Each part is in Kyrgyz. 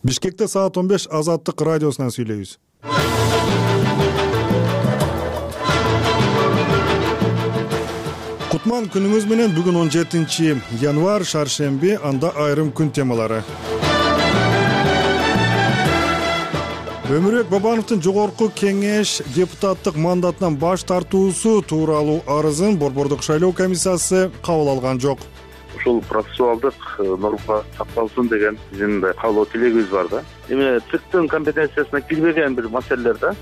Бишкекте саат 15 Азаттык радиосунан сүйлөйбүз. Кутман күнүңүз менен. Бүгүн 17 январь, шаршемби, анда айрым күн темалары. Өмүрбек Бабановдун жогорку кеңеш депутаттык мандатынан баш тартуусу тууралуу арызын Борбордук шайлоо комиссиясы кабыл алган жок. Ушул процессуалдык норма сакталсын деген биздин каалоо тилегибиз бар да. Эми ЦИКтин компетенциясына кирбеген бир маселелер да.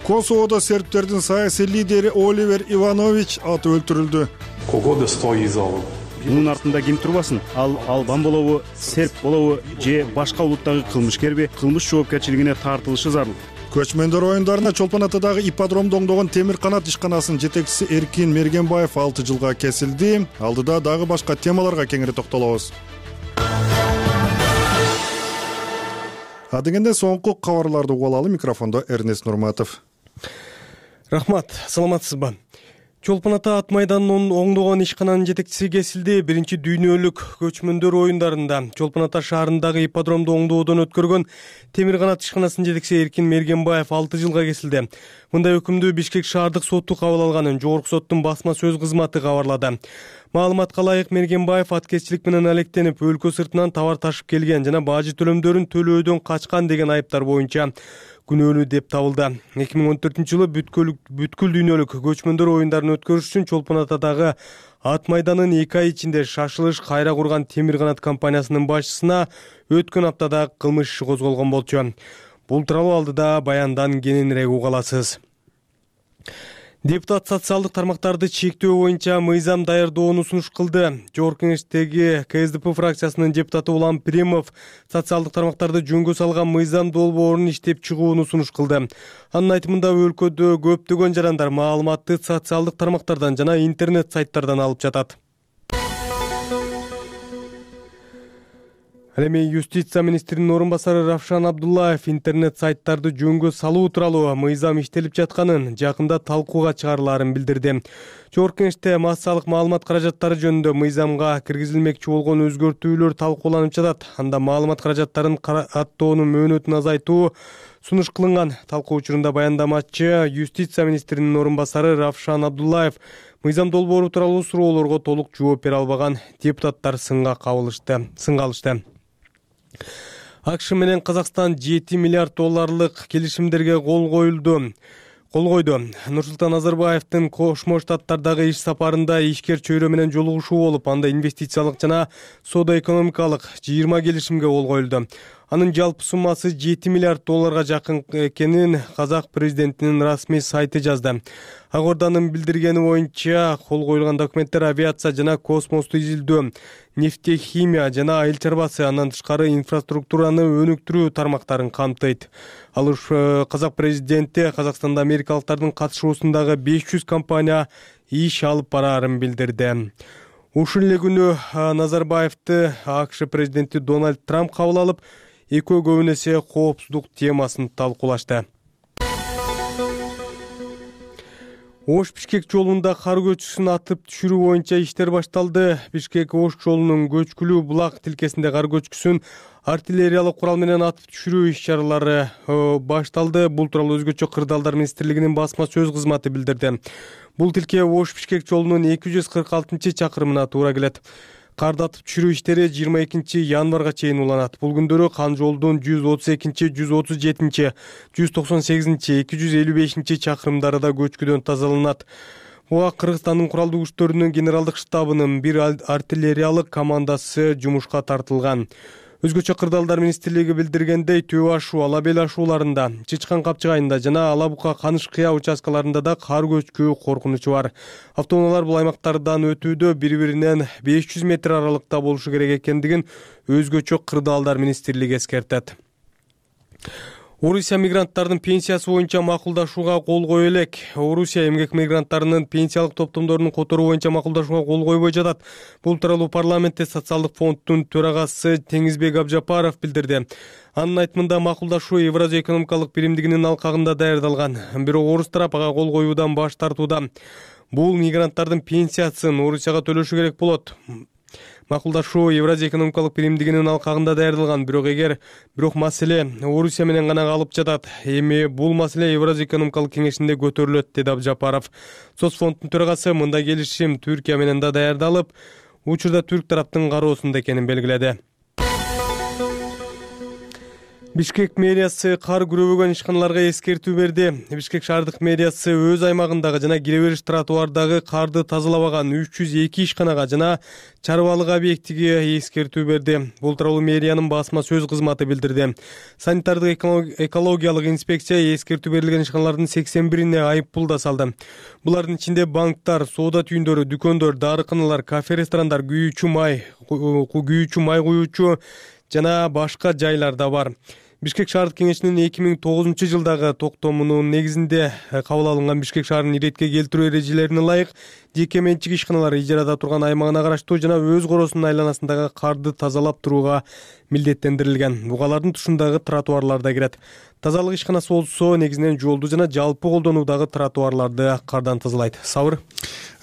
Косоводо сербтердин саясий лидери Оливер Иванович атып өлтүрүлдү. Кого стоит залог? Мунун артында ким турбасын? Ал албан болобу, серб болобу же башка улуттагы кылмышкерби? Кылмыш жоопкерчилигине тартылышы зарыл. Көчмөндөр оюндарына Чолпон Атадагы ипподромдо оңдогон темир канат ишканасынын жетекчиси Эркин Мергенбаев 6 жылга кесилди. Алдыда дагы башка темаларга кеңири токтолобуз. Адегенде соңку кабарларды угуп алалы. Микрофондо Эрнест Нурматов. Рахмат, саламатсызбы? Чолпон Ата ат майданынын оңдогон ишкананын жетекчиси кесилди. Биринчи дүйнөлүк көчмөндөр оюндарында Чолпон Ата шаарындагы ипподромду оңдоодон өткөргөн темир канат ишканасынын жетекчиси Эркин Мергенбаев 6 жылга кесилди. Мындай өкүмдү Бишкек шаардык соту кабыл алганын жогорку соттун басма сөз кызматы кабарлады. Маалыматка ылайык, Мергенбаев аткезчилик менен алектенип, өлкө сыртынан товар ташып келген жана бажы төлөмдөрүн төлөөдөн качкан деген айыптар боюнча күнөөлүү деп табылды. 2014-жылы бүткүл дүйнөлүк көчмөндөр оюндарын өткөрүш үчүн Чолпон Атадагы ат майданын 2 ай ичинде шашылыш кайра курган темир канат компаниясынын башчысына өткөн аптада кылмыш иши козголгон болчу. Бул тууралуу алдыда баяндан кененирээк уга аласыз. Депутат социалдык тармактарды чектөө боюнча мыйзам даярдоону сунуш кылды. Жогорку кеңештеги КСДП фракциясынын депутаты Улам Примов социалдык тармактарды жөнгө салган мыйзам долбоорун иштеп чыгууну сунуш кылды. Анын айтымында өлкөдө көптөгөн жарандар маалыматты социалдык тармактардан жана интернет сайттардан алып жатат. Ал эми юстиция министринин орун басары Равшан Абдуллаев интернет сайттарды жөнгө салуу тууралуу мыйзам иштелип жатканын, жакында талкууга чыгарылаарын билдирди. Жогорку кеңеште массалык маалымат каражаттары жөнүндө мыйзамга киргизилмекчи болгон өзгөртүүлөр талкууланып жатат. Анда маалымат каражаттарын аттоонун мөөнөтүн азайтуу сунуш кылынган. Талкуу учурунда баяндамачы юстиция министринин орун басары Равшан Абдуллаев мыйзам долбоору тууралуу суроолорго толук жооп бере албаган. Депутаттар сынга алышты. АКШ менен Казакстан 7 миллиард долларлык келишимдерге кол койду. Нурсултан Назарбаевдин Кошмо Штаттардагы иш сапарында ишкер чөйрө менен жолугушуу болуп, анда инвестициялык жана соода-экономикалык 20 келишимге кол коюлду. Анын жалпы суммасы 7 миллиард долларга жакын экенин Казак президентинин расмий сайты жазды. Акорданын билдиргени боюнча кол коюлган документтер авиация жана космосту изилдөө, нефтехимия жана айыл чарбасы, андан тышкары инфраструктураны өнүктүрүү тармактарын камтыйт. Ал Казак президенти Казакстанда америкалыктардын катышуусундагы 500 компания иш алып бараарын билдирди. Ушул эле күнү Назарбаевди АКШ президенти Дональд Трамп кабыл алып, экөө көбүн эсе коопсуздук темасын талкуулашты. Ош-Бишкек жолунда кар көчкүсүн атып түшүрүү боюнча иштер башталды. Бишкек-Ош жолунун көчкүлүү булак тилкесинде кар көчкүсүн артиллериялык курал менен атып түшүрүү иш-чаралары башталды. Бул тууралуу Өзгөчө кырдаалдар министрлигинин басма сөз кызматы билдирди. Бул тилке Ош-Бишкек жолунун 246-чакырымына туура келет. Карды атып түшүрүү иштери 22 январга чейин уланат. Бул күндөрү Кан жолдун 132, 137, 198, 255 чакырымдары да көчкүдөн тазаланат. Буга Кыргызстандын куралдуу күчтөрүнүн генералдык штабынын бир артиллериялык командасы жумушка тартылган. Өзгөчө кырдаалдар министрлиги билдиргендей, Төбө ашуу, Ала бел ашууларында, Чычкан капчыгайында жана Ала бука Каныш кыя участкаларында да кар көчкү коркунучу бар. Автоунаалар бул аймактардан өтүүдө бири-биринен 500 метр аралыкта болушу керек экендигин Өзгөчө кырдаалдар министрлиги эскертет. Орусия мигранттарынын пенсиясы боюнча макулдашууга кол кое элек. Орусия эмгек мигранттарынын пенсиялык топтомдорун которуу боюнча макулдашууга кол койбой жатат. Бул тууралуу парламентте социалдык фонддун төрагасы Теңизбек Абжапаров билдирди. Анын айтымында макулдашуу Евразия экономикалык биримдигинин алкагында даярдалган. Бирок орус тарап ага кол коюудан баш тартууда. Бул мигранттардын пенсиясын Орусияга төлөшү керек болот. Макулдашуу Евразия экономикалык биримдигинин алкагында даярдалган, бирок маселе Орусия менен гана калып жатат. Эми бул маселе Евразия экономикалык кеңешинде көтөрүлөт, деди Абдыжапаров. Соцфонддун төрагасы мындай келишим Түркия менен да даярдалып, учурда түрк тараптын кароосунда экенин белгиледи. Бишкек мэриясы кар күрөбөгөн ишканаларга эскертүү берди. Бишкек шаардык мэриясы өз аймагындагы жана кире бериш тротуардагы карды тазалабаган 302 ишканага жана чарбалык объектиге эскертүү берди. Бул тууралуу мэриянын басма сөз кызматы билдирди. Санитардык экологиялык инспекция эскертүү берилген ишканалардын 81-ине айып пул да салды. Булардын ичинде банктар, соода түйүндөрү, дүкөндөр, дарыканалар, кафе, ресторандар, күйүүчү май куюучу жана башка жайлар да бар. Бишкек шаардык кеңешинин 2009 жылдагы токтомунун негизинде кабыл алынган Бишкек шаарынын иретке келтирүү эрежелерине ылайык жеке менчик ишканалар ижарада турган аймагына караштуу жана өз коросунун айланасындагы карды тазалап турууга милдеттендирилген. Бугалардын тушундагы тротуарлар да кирет. Тазалык ишканасы болсо негизинен жолду жана жалпы колдонуудагы тротуарларды кардан тазалайт. Сабыр.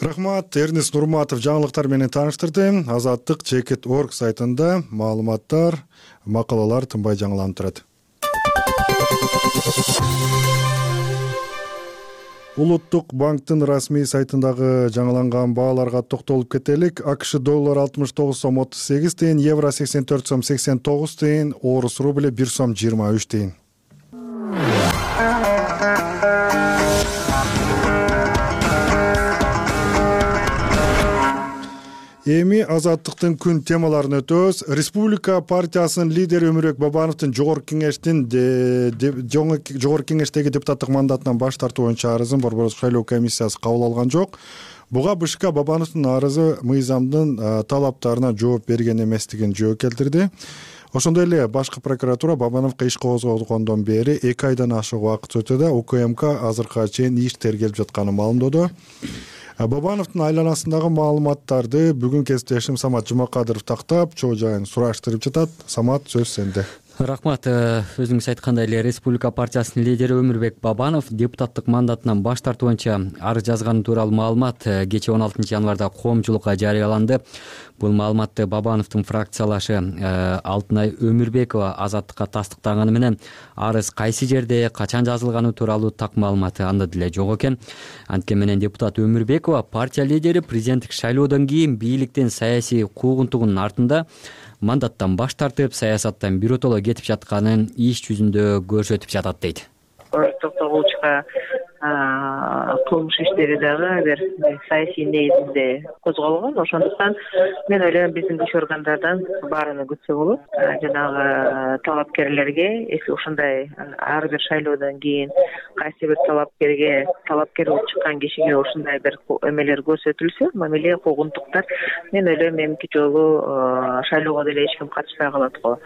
Рахмат. Эрнест Нурматов жаңылыктар менен тааныштырды. Азаттык Чекит.org сайтында маалыматтар, макалалар тынбай жаңыланып турат. Улуттук банктын расмий сайтындагы жаңыланган бааларга токтолуп кетелик. АКШ доллар 69 сом 38 тыйын, евро 84 сом 89 тыйын, орус рубли 1 сом 23 тыйын. Эми азаттыктын күн темаларын өтөбүз. Республика партиясынын лидери Өмүрбек Бабановдун жогорку кеңештеги депутаттык мандатынан баш тартуу боюнча арызын Борбордук шайлоо комиссиясы кабыл алган жок. Буга БШК Бабановдун арызы мыйзамдын талаптарына жооп берген эместигин жооп келтирди. Ошондой эле башкы прокуратура Бабановго иш козгогондон бери 2 айдан ашык убакыт өтүүдө УКМК азыркыга чейин иш тергелип жатканын маалымдоду. Бабановдун айланасындагы маалыматтарды бүгүн кесиптешим Самат Жумакадыров тактап, чоо жайын сураштырып жатат. Самат, сөз сенде. Рахмат. Өзүңүз айткандай эле Республика партиясынын лидери Өмүрбек Бабанов депутаттык мандатынан баш тартуу боюнча арыз жазганы тууралуу маалымат кечээ 16 январда коомчулукка жарыяланды. Бул маалыматты Бабановдун фракциялашы Алтынай Өмүрбекова азаттыкка тастыктаганы менен арыз кайсы жерде, качан жазылганы тууралуу так маалыматы анда деле жок экен. Анткени менен депутат Өмүрбекова партия лидери президенттик шайлоодон кийин бийликтин саясий куугунтугунун артында мандаттан баш тартып, саясаттан биротоло кетип жатканын иш жүзүндө көрсөтүп жатат дейт. Токтогулчка кылмыш иштери дагы бир саясий негизинде козголгон. Ошондуктан мен ойлойм биздин күч органдардан баарыны күтсө болот. Жанагы талапкерлерге, если ушундай ар бир шайлоодон кийин кайсы бир талапкер болуп чыккан кишиге ушундай бир эмелер көрсөтүлсө, мамиле, куугунтуктар, мен ойлойм эмки жолу шайлоого деле эч ким катышпай калат го.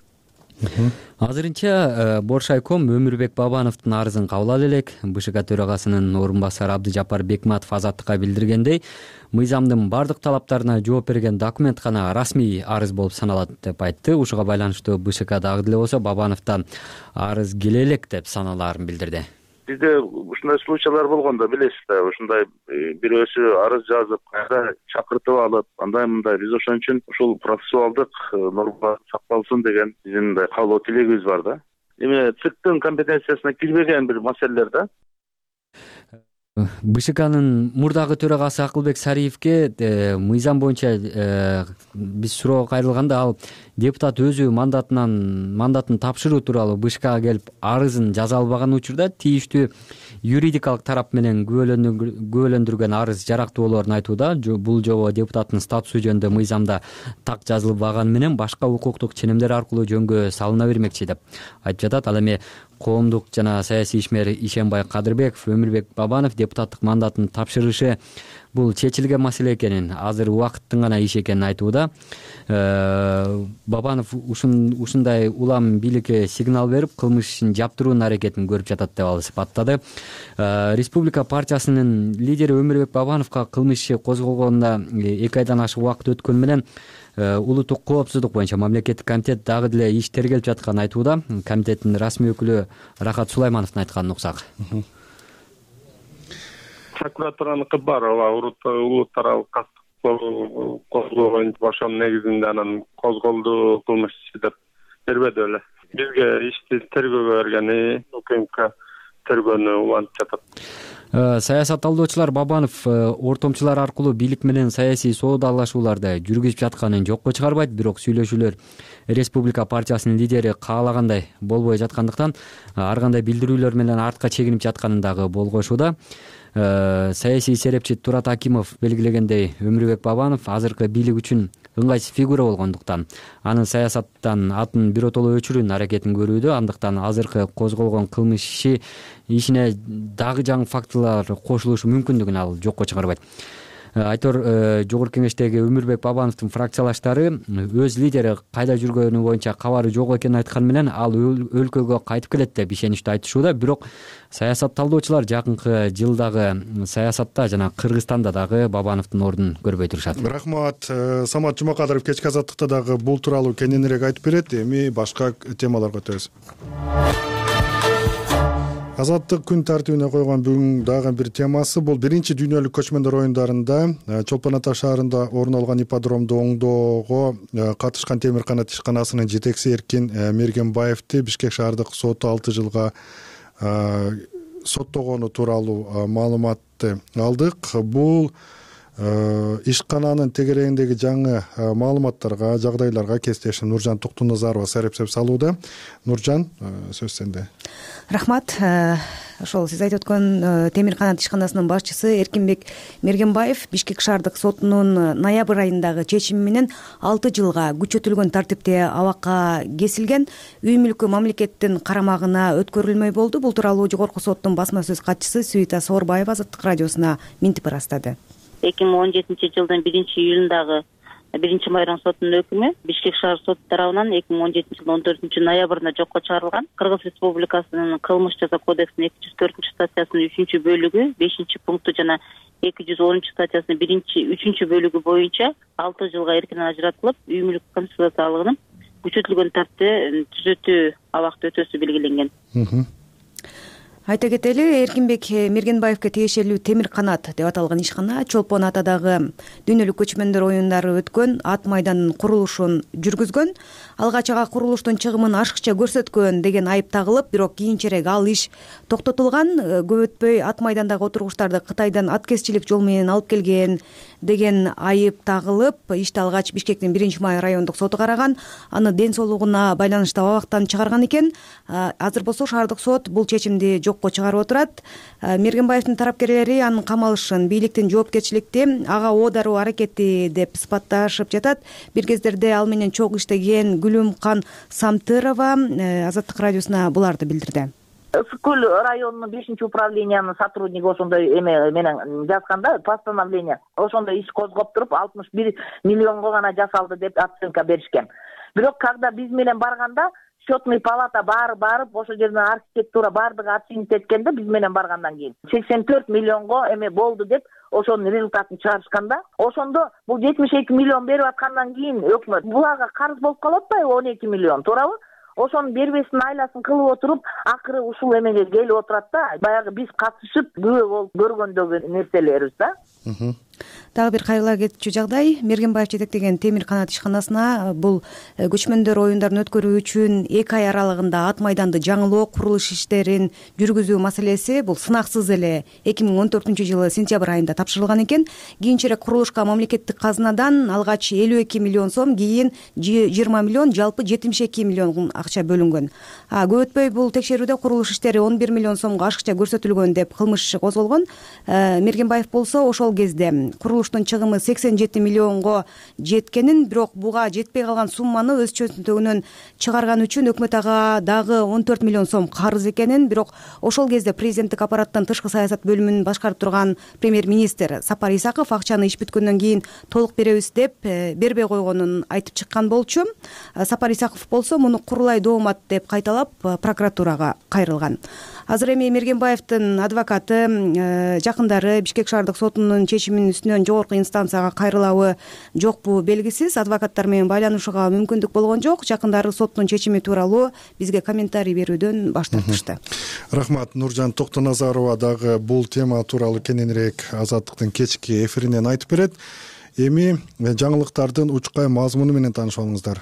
Азырынча Боршайком Өмүрбек Бабановдун арызын кабыл ала элек. БШК төрагасынын орун басары Абдыжапар Бекматов азаттыкка билдиргендей, мыйзамдын бардык талаптарына жооп берген документ гана расмий арыз болуп саналат деп айтты. Ушуга байланыштуу БШК дагы деле болсо Бабановдон арыз келе элек деп саналаарын билдирди. Бизде ушундай случайлар болгондо билесиз да, ушундай бирөөсү арыз жазып, кайра чакыртып алып, андай мындай биз ошон үчүн ушул процессуалдык норма сакталсын деген биздин каалоо тилегибиз бар да. Эми ЦИКтин компетенциясына кирбеген бир маселелер да. БШКнын мурдагы төрагасы Акылбек Сариевке мыйзам боюнча биз суроо кайрылганда ал депутат өзү мандатын тапшыруу тууралуу БШКга келип арызын жаза албаган учурда тийиштүү юридикалык тарап менен күбөлөндүргөн арыз жарактуу болоорун айтууда. Бул жобо депутаттын статусу жөнүндө мыйзамда так жазылбаганы менен башка укуктук ченемдер аркылуу жөнгө салына бермекчи деп айтып жатат. Ал эми коомдук жана саясий ишмер Ишенбай Кадырбеков Өмүрбек Бабанов депутаттык мандатын тапшырышы бул чечилген маселе экенин, азыр убакыттын гана иши экенин айтууда. Бабанов ушундай улам бийликке сигнал берип, кылмыш ишин жаптыруунун аракетин көрүп жатат деп ал сыпаттады. Республика партиясынын лидери Өмүрбек Бабановго кылмыш иши козголгонуна 2 айдан ашык убакыт өткөнү менен улуттук коопсуздук боюнча мамлекеттик комитет дагы деле иш тергелип жатканын айтууда. Комитеттин расмий өкүлү Рахат Сулаймановдун айтканын уксак. Прокуратураныкы бар, улуттаралык козголгон ошонун негизинде анан козголду кылмыш иши деп бербеди беле. Бизге ишти тергөөгө бергени УКМК тергөөнү улантып жатат. Саясат талдоочулар Бабанов ортомчулар аркылуу бийлик менен саясий соодалашууларды жүргүзүп жатканын жокко чыгарбайт, бирок сүйлөшүүлөр Республика партиясынын лидери каалагандай болбой жаткандыктан ар кандай билдирүүлөр менен артка чегинип жатканын дагы болгошууда. Саясий серепчи Турат Акимов белгилегендей, Өмүрбек Бабанов азыркы бийлик үчүн ыңгайсыз фигура болгондуктан анын саясаттан атын биротоло өчүрүүнүн аракетин көрүүдө, андыктан азыркы козголгон кылмыш ишине дагы жаңы фактылар кошулушу мүмкүндүгүн ал жокко чыгарбайт. Айтор жогорку кеңештеги Өмүрбек Бабановдун фракциялаштары өз лидери кайда жүргөнү боюнча кабары жок экенин айткан менен ал өлкөгө кайтып келет деп ишеничтүү айтышууда. Бирок саясат талдоочулар жакынкы жылдагы саясатта жана Кыргызстанда дагы Бабановдун ордун көрбөй турушат. Рахмат. Самат Жумакадыров кечки азаттыкта дагы бул тууралуу кененирээк айтып берет. Эми башка темаларга өтөбүз. Азаттык күн тартибине койгон бүгүн дагы бир темасы бул биринчи дүйнөлүк көчмөндөр оюндарында Чолпон Ата шаарында орун алган ипподромду оңдоого катышкан темир канат ишканасынын жетекчиси Эркин Мергенбаевди Бишкек шаардык соту 6 жылга соттогону тууралуу маалыматты алдык. Бул ишкананын тегерегиндеги жаңы маалыматтарга, жагдайларга кесиптешим Нуржан Токтоназарова серепсеп салууда. Нуржан, сөз сенде. Рахмат. Ошол сиз айтып өткөн темир канат ишканасынын башчысы Эркинбек Мергенбаев Бишкек шаардык сотунун ноябрь айындагы чечими менен 6 жылга күчөтүлгөн тартипте абакка кесилген, үй мүлкү мамлекеттин карамагына өткөрүлмөй болду. Бул тууралуу жогорку соттун басма сөз катчысы Сүйүта Соорбаева Азаттык радиосуна минтип ырастады. 2017 жылдын 1-июлундагы 1-майрам сотунун өкүмү Бишкек шаар соту тарабынан 2017 жылдын 14 ноябрында жокко чыгарылган. Кыргыз Республикасынын кылмыш жаза кодексинин 204 статьясынын 3-бөлүгү 5-пункту жана 210 статьясынын 1-3 бөлүгү боюнча 6 жылга эркинен ажыратылып, үй мүлк конфискациялыгынын күчөтүлгөн тартипте түзөтүү абакта өтөөсү белгиленген. Айта кетели, Эркинбек Мергенбаевге тиешелүү темир канат деп аталган ишкана Чолпон Атадагы дүйнөлүк көчмөндөр оюндары өткөн ат майданынын курулушун жүргүзгөн, алгач ага курулуштун чыгымын ашыкча көрсөткөн деген айып тагылып, бирок кийинчерээк ал иш токтотулган. Көп өтпөй ат майдандагы отургучтарды Кытайдан аткезчилик жол менен алып келген деген айып тагылып, ишти алгач Бишкектин 1-май райондук соту караган, аны ден соолугуна байланыштуу абактан чыгарган экен. Азыр болсо шаардык сот бул чечимди жокко чыгарып отурат. Мергенбаевдин тарапкерлери анын камалышын бийликтин жоопкерчиликти ага о дароо аракети деп сыпатташып жатат. Бир кездерде ал менен чогуу иштеген Гүлүмкан Самтырова Азаттык радиосуна буларды билдирди. Ысык көл районунун 5-управлениянын сотрудниги ошондой эме менен жазганда постановление, ошондой иш козгоп туруп 61 миллионго гана жасалды деп оценка беришкен. Бирок когда биз менен барганда счетный палата барып ошол жерден архитектура баардыгы оценить эткенде биз менен баргандан кийин 84 миллионго эме болду деп ошонун результатын чыгарышканда, ошондо бул 72 миллион берип аткандан кийин өкмөт буларга карыз болуп калып атпайбы 12 миллион, туурабы? Ошонун бербестин айласын кылып отуруп, акыры ушул эмеге келип отурат да, баягы биз катышып күбө болуп көргөндөгү нерселерибиз да. Дагы бир кайгыла кетчү жагдай, Мергенбаев жетектеген темир канат ишканасына бул көчмөндөр оюндарын өткөрүү үчүн 2 ай аралыгында ат майданды жаңылоо, курулуш иштерин жүргүзүү маселеси бул сынаксыз эле 2014 жылы сентябрь айында тапшырылган экен. Кийинчерээк курулушка мамлекеттик казынадан алгач 52 миллион сом, кийин 20 миллион, жалпы 72 миллион акча бөлүнгөн. Көп өтпөй бул текшерүүдө курулуш иштери 11 миллион сомго ашыкча көрсөтүлгөн деп кылмыш козголгон. Мергенбаев болсо ошол кезде курулуштун чыгымы 87 миллионго жеткенин, бирок буга жетпей калган сумманы өз чөнтөгүнөн чыгарган үчүн өкмөт ага дагы 14 миллион сом карыз экенин, бирок ошол кезде президенттик аппараттын тышкы саясат бөлүмүн башкарып турган премьер-министр Сапар Исаков акчаны иш бүткөндөн кийин толук беребиз деп бербей койгонун айтып чыккан болчу. Сапар Исаков болсо муну курулай доомат деп кайталап прокуратурага кайрылган. Азыр эми Мергенбаевдин адвокаты жакындары Бишкек шаардык сотунун чечиминин үстүнөн жогорку инстанцияга кайрылабы жокпу белгисиз. Адвокаттар менен байланышууга мүмкүндүк болгон жок. Жакындары соттун чечими тууралуу бизге комментарий берүүдөн баш тартышты. Рахмат. Нуржан Токтоназарова дагы бул тема тууралуу кененирээк Азаттыктын кечки эфиринен айтып берет. Эми жаңылыктардын учкай мазмуну менен таанышып алыңыздар.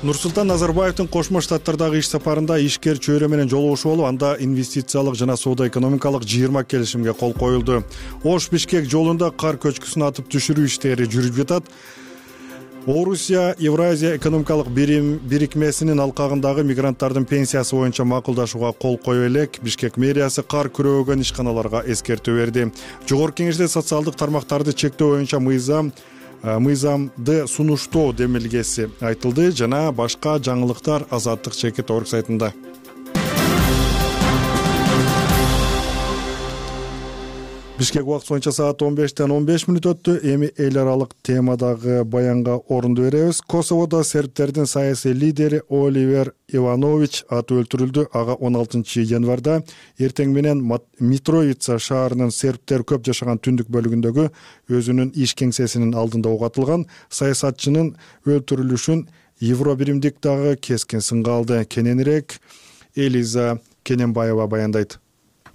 Нурсултан Назарбаевдин Кошмо Штаттардагы иш сапарында ишкер чөйрө менен жолугушуу болуп, анда инвестициялык жана соода-экономикалык 20 келишимге кол коюлду. Ош-Бишкек жолунда кар көчкүсүн атып түшүрүү иштери жүрүп жатат. Орусия Евразия экономикалык бирикмесинин алкагындагы мигранттардын пенсиясы боюнча макулдашууга кол кое элек. Бишкек мэриясы кар күрөөгөн ишканаларга эскертүү берди. Жогорку Кеңеште социалдык тармактарды чектөө боюнча мыйзамды сунуштоо демилгеси айтылды жана башка жаңылыктар Азаттык чекит орг сайтында. Бишкек убакыты боюнча саат 15:15 өттү. Эми эл аралык темадагы баянга орунду беребиз. Косоводо сербтердин саясий лидери Оливер Иванович аты өлтүрүлдү. Ага 16 январда эртең менен Митровица шаарынын сербтер көп жашаган түндүк бөлүгүндөгү өзүнүн иш кеңсесинин алдында ок атылган. Саясатчынын өлтүрүлүшүн Евробиримдик дагы кескин сынга алды. Кененирээк Элиза Кененбаева баяндайт.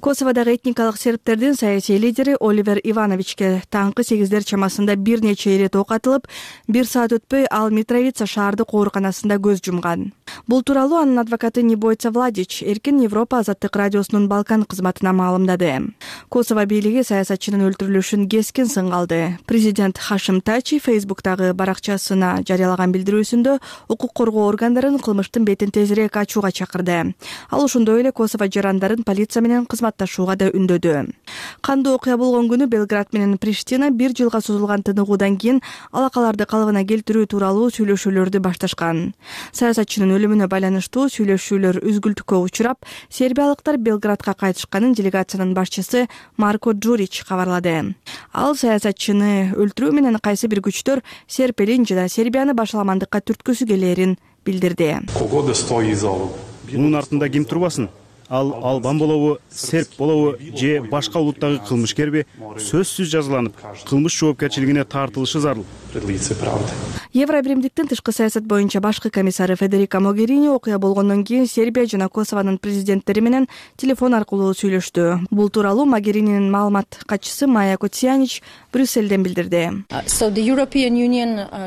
Косоводогу этникалык сербтердин саясий лидери Оливер Ивановичке таңкы 8 чамасында бир нече ирет ок атылып, 1 саат өтпөй ал Митровица шаардык ооруканасында көз жумган. Бул тууралуу анын адвокаты Небойца Владич Эркин Европа азаттык радиосунун Балкан кызматына маалымдады. Косово бийлиги саясатчынын өлтүрүлүшүн кескин сынга алды. Президент Хашим Тачи Фейсбуктагы баракчасына жарыялаган билдирүүсүндө укук коргоо органдарын кылмыштын бетин тезирээк ачууга чакырды. Ал ошондой эле Косово жарандарын полиция менен кызматташууга да үндөдү. Кандуу окуя болгон күнү Белград менен Приштина 1 жылга созулган тыныгуудан кийин алакаларды калыбына келтирүү тууралуу сүйлөшүүлөрдү башташкан. Саясатчынын өлүмүнө байланыштуу сүйлөшүүлөр үзгүлтүккө учурап, сербиялыктар Белградка кайтышканын делегациянын башчысы Марко Джурич кабарлады. Ал саясатчыны өлтүрүү менен кайсы бир күчтөр серб элин жана Сербияны башаламандыкка түрткүсү келээрин билдирди. Мунун артында ким турбасын? Ал албан болобу, серб болобу же башка улуттагы кылмышкерби сөзсүз жазаланып, кылмыш жоопкерчилигине тартылышы зарыл. Евробиримдиктин тышкы саясат боюнча башкы комиссары Федерика Могерини окуя болгондон кийин Сербия жана Косованын президенттери менен телефон аркылуу сүйлөштү. Бул тууралуу Могерининин маалымат катчысы Майя Коцянич Брюсселден билдирди.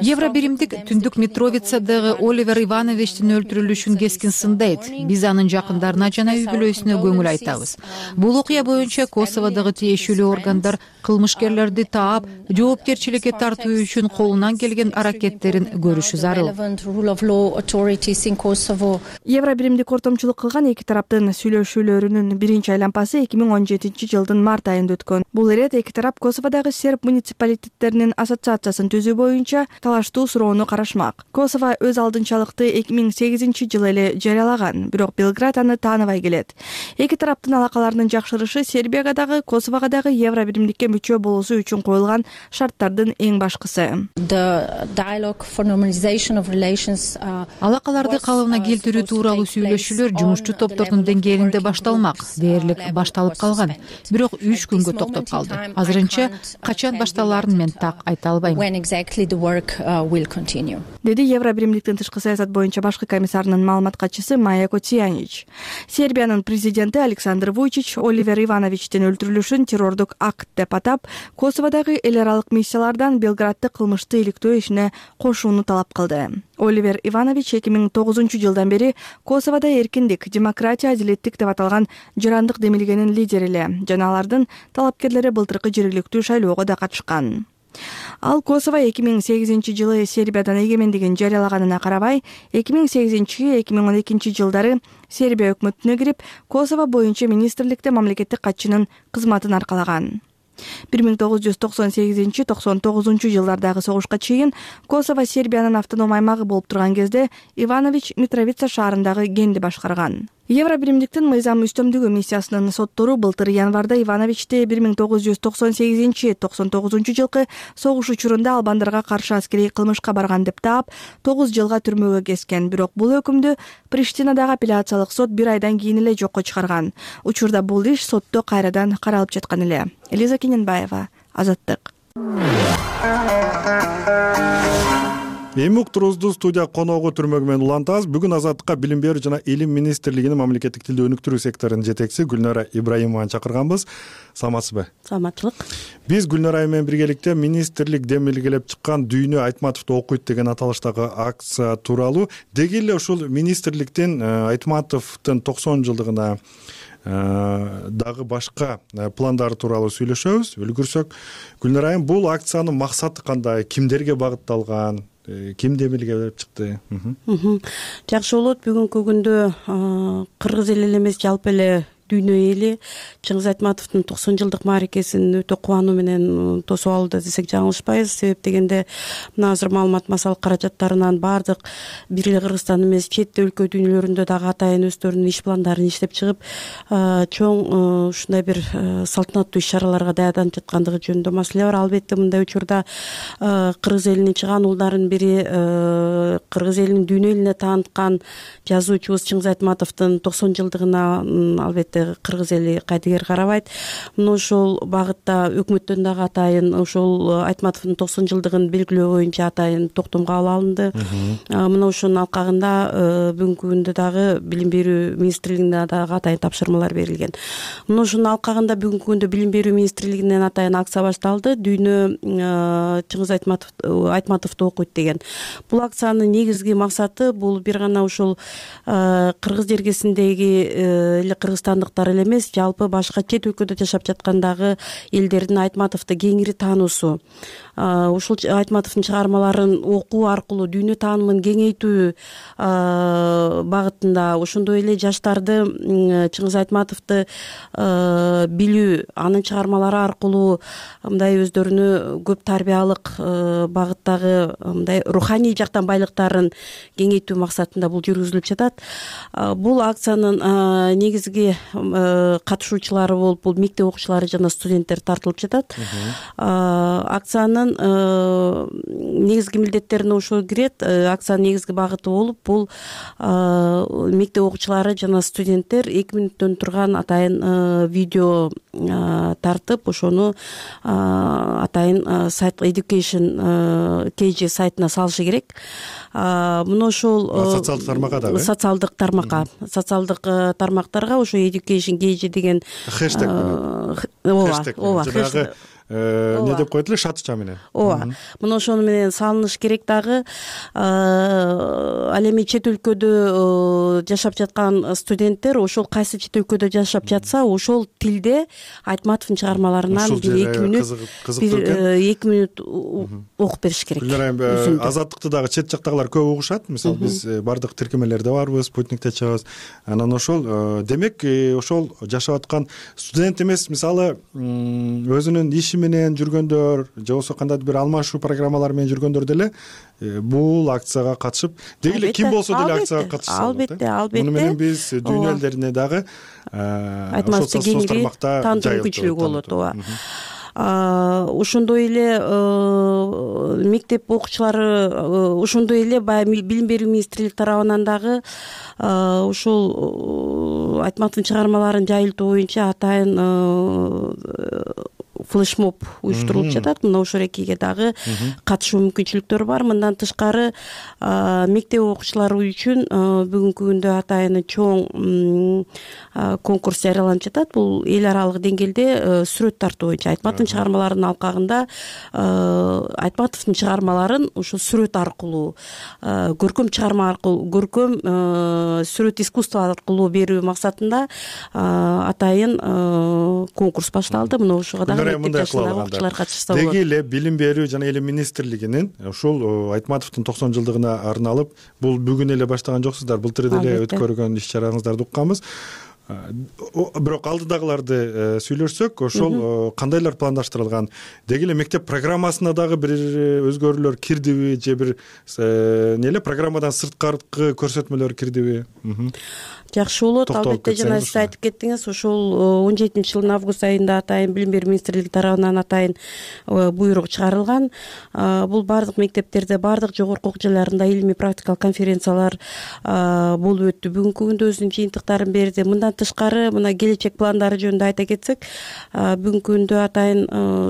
Евробиримдик түндүк Митровицадагы Оливер Ивановичтин өлтүрүлүшүн кескин сындайт. Биз анын жакындарына жана үй бүлөсүнө көңүл айтабыз. Бул окуя боюнча Косоводогу тиешелүү органдар кылмышкерлерди таап, жоопкерчиликке тартуу үчүн колунан келген аракеттерин көрүшү зарыл. Евробиримдик ортомчулук кылган эки тараптын сүйлөшүүлөрүнүн биринчи айланпасы 2017 жылдын март айында өткөн. Бул ирет эки тарап Косоводогу серб муниципалитеттеринин ассоциациясын түзүү боюнча талаштуу суроону карашмак. Косово өз алдынчалыкты 2008 жылы эле жарыялаган, бирок Белград аны тааныбай келет. Эки тараптын алакаларынын жакшырышы Сербияга дагы, Косового дагы Евробиримдикке мүчө болуусу үчүн коюлган шарттардын эң башкысы. Алакаларды калыбына келтирүү тууралуу сүйлөшүүлөр жумушчу топтордун деңгээлинде башталмак. Дээрлик башталып калган, бирок 3 күнгө токтоп калды. Азырынча качан башталаарын мен так айта албайм. Деди Евробиримдиктин тышкы саясат боюнча башкы комиссарынын маалымат катчысы Майя Коцянич. Сербиянын президенти Александр Вучич Оливер Ивановичтин өлтүрүлүшүн террордук акт деп атап, Косоводогу эл аралык миссиялардан Белградты кылмышты иликтөө ишине кошууну талап кылды. Оливер Иванович 2009 жылдан бери Косоводо эркиндик, демократия, адилеттик деп аталган жарандык демилгенин лидери эле жана алардын талапкерлери былтыркы жергиликтүү шайлоого да катышкан. Ал Косово 2008 жылы Сербиядан эгемендигин жарыялаганына карабай, 2008-2012 жылдары Сербия өкмөтүнө кирип, Косово боюнча министрликте мамлекеттик катчынын кызматын аркалаган. 1998-99 жылдардагы согушка чейин Косово Сербиянын автоном аймагы болуп турган кезде Иванович Митровица шаарындагы кенди башкарган. Евробиримдиктин мыйзам үстөмдүгү миссиясынын соттору былтыр январда Ивановичти 1998-99 жылкы согуш учурунда албандарга каршы аскерий кылмышка барган деп таап 9 жылга түрмөгө кескен. Бирок бул өкүмдү Приштинадагы апелляциялык сот 1 айдан кийин эле жокко чыгарган. Учурда бул иш сотто кайрадан каралып жаткан эле. Элиза Кененбаева, Азаттык. эми уктуруубузду студия коногу түрмөгү менен улантабыз. Бүгүн Азаттыкка билим берүү жана илим министрлигинин мамлекеттик тилди өнүктүрүү секторунун жетекчиси Гүлнара Ибраимованы чакырганбыз. Саламатсызбы? Саламаттылык. Биз Гүлнара менен биргеликте министрлик демилгелеп чыккан Дүйнө Айтматовду окуйт деген аталыштагы акция тууралуу, деги эле ушул министрликтин Айтматовдун 90 жылдыгына дагы башка пландары тууралуу сүйлөшөбүз. Үлгүрсөк, Гүлнара айым, бул акциянын максаты кандай, кимдерге багытталган, ким демилгелеп чыкты? Жакшы болот. Бүгүнкү күндө кыргыз эли эмес, жалпы эле дүйнө эли Чыңгыз Айтматовдун 90 жылдык мааракесин өтө кубануу менен тосуп алууда десек жаңылышпайбыз. Себеп дегенде мына азыр маалымат массалык каражаттарынан баардык бир эле Кыргызстан эмес, чет өлкө дүйнөлөрүндө дагы атайын өздөрүнүн иш пландарын иштеп чыгып, чоң ушундай бир салтанаттуу иш-чараларга даярданып жаткандыгы жөнүндө маселе бар. Албетте мындай учурда кыргыз элинин чыгаан уулдарынын бири, кыргыз элинин дүйнө элине тааныткан жазуучубуз Чыңгыз Айтматовдун 90 жылдыгына албетте кыргыз эли кайдыгер карабайт. Мына ошол багытта өкмөттөн дагы атайын ошол Айтматовдун 90 жылдыгын белгилөө боюнча атайын токтом кабыл алынды. Мына ошонун алкагында бүгүнкү күндө дагы билим берүү министрлигине дагы атайын тапшырмалар берилген. Мына ошонун алкагында бүгүнкү күндө билим берүү министрлигинен атайын акция башталды. Дүйнө Чыңгыз Айтматовду окуйт деген. Бул акциянын негизги максаты бул бир гана ушул кыргыз жергесиндеги эле кыргызстандыктар эле эмес, жалпы башка чет өлкөдө жашап жаткандагы элдердин Айтматовду кеңири таануусу. Ушул Айтматовдун чыгармаларын окуу аркылуу дүйнө таанымын кеңейтүү багытында, ошондой эле жаштарды Чыңгыз Айтматовду билүү, анын чыгармалары аркылуу мындай өздөрүнө көп тарбиялык багыттагы мындай руханий жактан байлыктарын кеңейтүү максатында бул жүргүзүлүп жатат. Бул акциянын негизги катышуучулары болуп бул мектеп окуучулары жана студенттер тартылып жатат. Акциянын негизги милдеттерине ошол кирет. Акциянын негизги багыты болуп бул мектеп окуучулары жана студенттер 2 мүнөттөн турган атайын видео тартып, ошону атайын сайт Education KG сайтына салышы керек. Мына ошол социалдык тармакка дагы. Социалдык тармактарга ошо Education KG деген хэштег менен. Ооба. Не деп коет эле, шатыча менен. Ооба. Мына ошону менен салыныш керек дагы. Ал эми чет өлкөдө жашап жаткан студенттер ошол кайсы чет өлкөдө жашап жатса, ошол тилде Айтматовдун чыгармаларынан бир 2 мүнөт окуп бериш керек. Азаттыкты дагы чет жактагылар көп угушат. Мисалы биз бардык тиркемелерде барбыз, спутникте чыгабыз. Анан ошол демек ошол жашап аткан студент эмес, мисалы өзүнүн иши менен жүргөндөр же болбосо кандайдыр бир алмашуу программалары менен жүргөндөр деле бул акцияга катышып, деги эле ким болсо деле акцияга катышса болот. Албетте. Муну менен биз дүйнө элдерине дагы ошол социалдык тармакта таандыруу мүмкүнчүлүгү болот. Ооба. Ошондой эле мектеп окуучулары, ошондой эле баягы билим берүү министрлиги тарабынан дагы ушул Айтматовдун чыгармаларын жайылтуу боюнча атайын флешмоб уюштурулуп жатат. Мына ошол экиге дагы катышуу мүмкүнчүлүктөрү бар. Мындан тышкары мектеп окуучулары үчүн бүгүнкү күндө атайын чоң конкурс жарыяланып жатат. Бул эл аралык деңгээлде сүрөт тартуу боюнча Айтматовдун чыгармаларынын алкагында Айтматовдун чыгармаларын ошол сүрөт аркылуу, көркөм чыгарма аркылуу, көркөм сүрөт искусство аркылуу берүү максатында атайын конкурс башталды. Мына ошого дагы окуучулар катышса болот. Деги эле билим берүү жана эле министрлигинин ушул Айтматовдун 90 жылдыгына арналып, бул бүгүн эле баштаган жоксуздар, былтыр деле өткөргөн иш-чараңыздарды укканбыз. Бирок алдыдагыларды сүйлөшсөк, ошол кандайлар пландаштырылган? Деги эле мектеп программасына дагы бир өзгөрүүлөр кирдиби же бир программадан сырткаркы көрсөтмөлөр кирдиби? Жакшы болот. Албетте жана сиз айтып кеттиңиз, ошол 17-жылдын август айында атайын билим берүү министрлиги тарабынан атайын буйрук чыгарылган. Бул бардык мектептерде, бардык жогорку окуу жайларында илимий практикалык конференциялар болуп өттү. Бүгүнкү күндө өзүнүн жыйынтыктарын берди. Мындан андан тышкары мына келечек пландары жөнүндө айта кетсек, бүгүнкү күндө атайын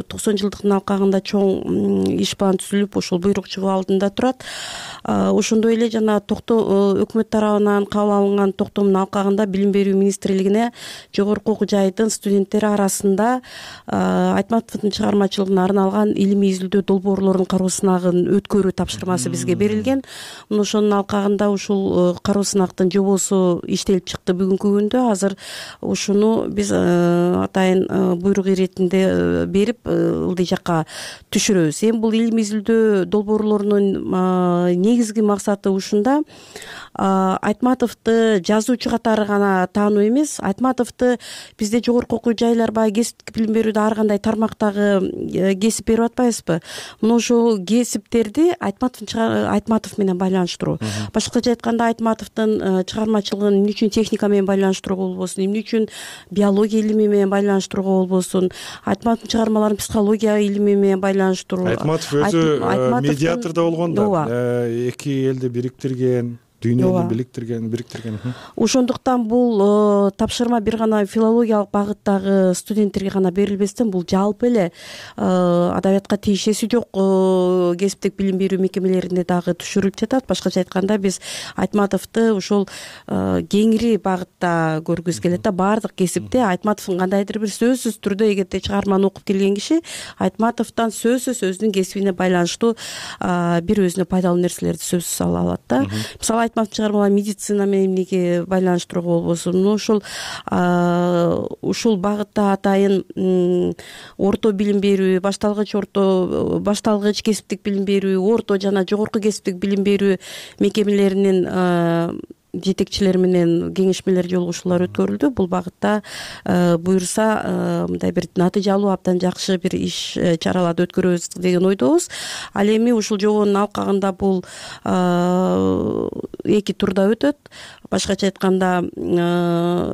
90 жылдыктын алкагында чоң иш план түзүлүп, ушул буйрук чыгуу алдында турат. Ошондой эле жана өкмөт тарабынан кабыл алынган токтомдун алкагында Билим берүү министрлигине жогорку окуу жайдын студенттери арасында Айтматовдун чыгармачылыгына арналган илимий изилдөө долбоорлорунун кароо сынагын өткөрүү тапшырмасы бизге берилген. Ошонун алкагында ушул кароо сынактын жобосу иштелип чыкты бүгүнкү күндө. Азыр ушуну биз атайын буйрук иретинде берип ылдый жакка түшүрөбүз. Эми бул илимий изилдөө долбоорлорунун негизги максаты ушунда: Айтматовду жазуучу катары гана таануу эмес, Айтматовду бизде жогорку окуу жайлар баягы кесиптик билим берүүдө ар кандай тармактагы кесип берип атпайбызбы? Мына ошол кесиптерди Айтматов менен байланыштыруу. Башкача айтканда, Айтматовдун чыгармачылыгын эмне үчүн техника менен байланыштырууга болбосун, эмне үчүн биология илими менен байланыштырууга болбосун, Айтматовдун чыгармаларын психология илими менен байланыштыруу. Айтматов өзү медиатор да болгон да, эки элди бириктирген, дүйнөнү бириктирген. Ошондуктан бул тапшырма бир гана филологиялык багыттагы студенттерге гана берилбестен, бул жалпы эле адабиятка тиешеси жок кесиптик билим берүү мекемелерине дагы түшүрүлүп жатат. Башкача айтканда, биз Айтматовду ушул кеңири багытта көргүбүз келет да. Баардык кесипте Айтматовдун кандайдыр бир сөзсүз түрдө, эгерде чыгарманы окуп келген киши Айтматовдон сөзсүз өзүнүн кесибине байланыштуу бир өзүнө пайдалуу нерселерди сөзсүз ала алат да. Мисалы, Айтматовдун чыгармалары медицина менен эмнеге байланыштырууга болбосун. Ушул багытта атайын орто билим берүү, башталгыч кесиптик билим берүү, орто жана жогорку кесиптик билим берүү мекемелеринин жетекчилери менен кеңешмелер, жолугушуулар өткөрүлдү. Бул багытта буюрса мындай бир натыйжалуу, абдан жакшы бир иш чараларды өткөрөбүз деген ойдобуз. Ал эми ушул жобонун алкагында бул эки турда өтөт. Башкача айтканда,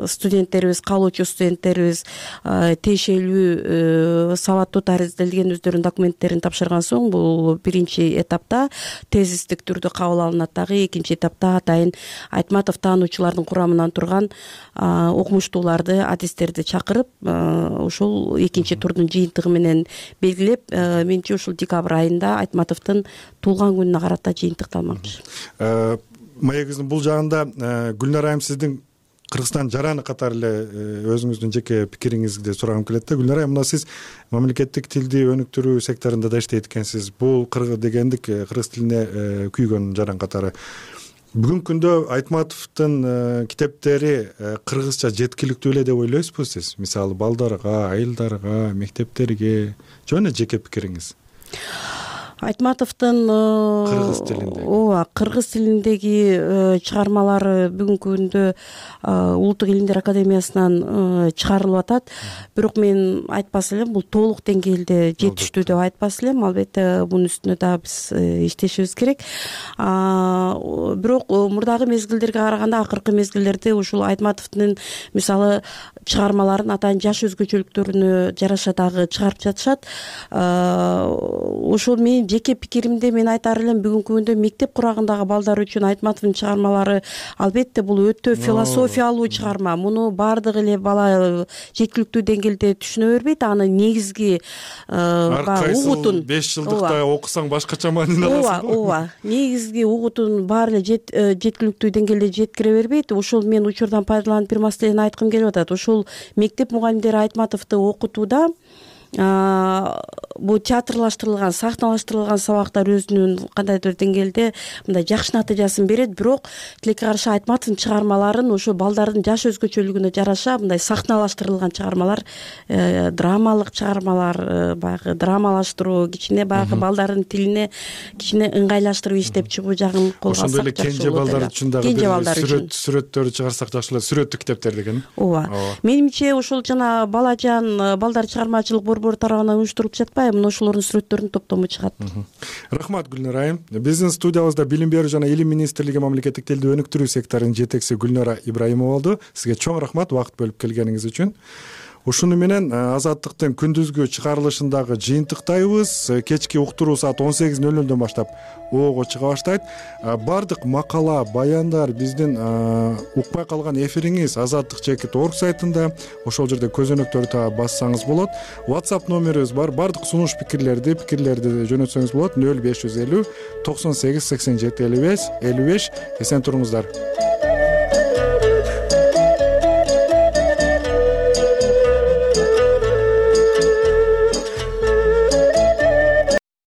студенттерибиз, каалоочу студенттерибиз тиешелүү сабаттуу таризделген өздөрүнүн документтерин тапшырган соң, бул биринчи этапта тезистик түрдө кабыл алынат. Дагы экинчи этапта атайын Айтматов таануучулардын курамынан турган окумуштууларды, адистерди чакырып, ушул экинчи турдун жыйынтыгы менен белгилеп, менимче ушул декабрь айында Айтматовдун туулган күнүнө карата жыйынтыкталмакчы. Маегибиздин бул жагында Гүлнара айым, сиздин Кыргызстан жараны катары эле өзүңүздүн жеке пикириңизди сурагым келет да. Гүлнара айым, мына сиз мамлекеттик тилди өнүктүрүү секторунда да иштейт экенсиз. Бул дегендик кыргыз тилине күйгөн жаран катары. Бүгүнкү күндө Айтматовдун китептери кыргызча жеткиликтүү эле деп ойлойсузбу сиз? Мисалы, балдарга, айылдарга, мектептерге, жөн жеке пикириңиз. Айтматовдун кыргыз тилиндеги чыгармалары бүгүнкү күндө Улуттук илимдер академиясынан чыгарылып атат. Бирок мен айтпас элем, бул толук деңгээлде жетиштүү деп айтпас элем. Албетте бунун үстүнө дагы биз иштешибиз керек. Бирок мурдагы мезгилдерге караганда, акыркы мезгилдерде ушул Айтматовдун мисалы чыгармаларын атайын жаш өзгөчөлүктөрүнө жараша дагы чыгарып жатышат. Ошол менин жеке пикиримде мен айтар элем, бүгүнкү күндө мектеп курагындагы балдар үчүн Айтматовдун чыгармалары албетте бул өтө философиялуу чыгарма. Муну баардык эле бала жеткиликтүү деңгээлде түшүнө бербейт. Аны негизги угутун 5 жылдыкта окусаң башкача маанини аласың. Ооба. Негизги угутун баары эле жеткиликтүү деңгээлде жеткире бербейт. Ошол мен учурдан пайдаланып бир маселени айткым келип атат. Ушул мектеп мугалимдери Айтматовду окутууда бул театрлаштырылган, сахналаштырылган сабактар өзүнүн кандайдыр деңгээлде мындай жакшы натыйжасын берет. Бирок тилекке каршы Айтматовдун чыгармаларын ошо балдардын жаш өзгөчөлүгүнө жараша мындай сахналаштырылган чыгармалар, драмалык чыгармалар, баягы драмалаштыруу, кичине баягы балдардын тилине кичине ыңгайлаштырып иштеп чыгуу жагын колго алсак жакшы болот. Ошондой эле кенже балдар үчүн дагы сүрөттөрдү чыгарсак жакшы болот, сүрөттүк китептер деген. Ооба. Менимче ошол жана балажан балдар чыгармачылык борбору тарабынан уюштурулуп жатпайбы? Мына ошолордун сүрөттөрүнүн топтому чыгат. Рахмат, Гүлнара айым. Биздин студиябызда Билим берүү жана илим министрлиги мамлекеттик тилди өнүктүрүү секторунун жетекчиси Гүлнара Ибраимова болду. Сизге чоң рахмат убакыт бөлүп келгениңиз үчүн. Ушуну менен Азаттыктын күндүзгү чыгарылышындагы жыйынтыктайбыз. Кечки уктуруу саат 18:00 баштап оого чыга баштайт. Бардык макала, баяндар биздин укпай калган эфириңиз azattik.org сайтында, ошол жерде көзөнөктөрдү таап бассаңыз болот. WhatsApp номерибиз бар. Бардык сунуш пикирлерди жөнөтсөңүз болот. 0550 98 87 55. Эсен туруңуздар.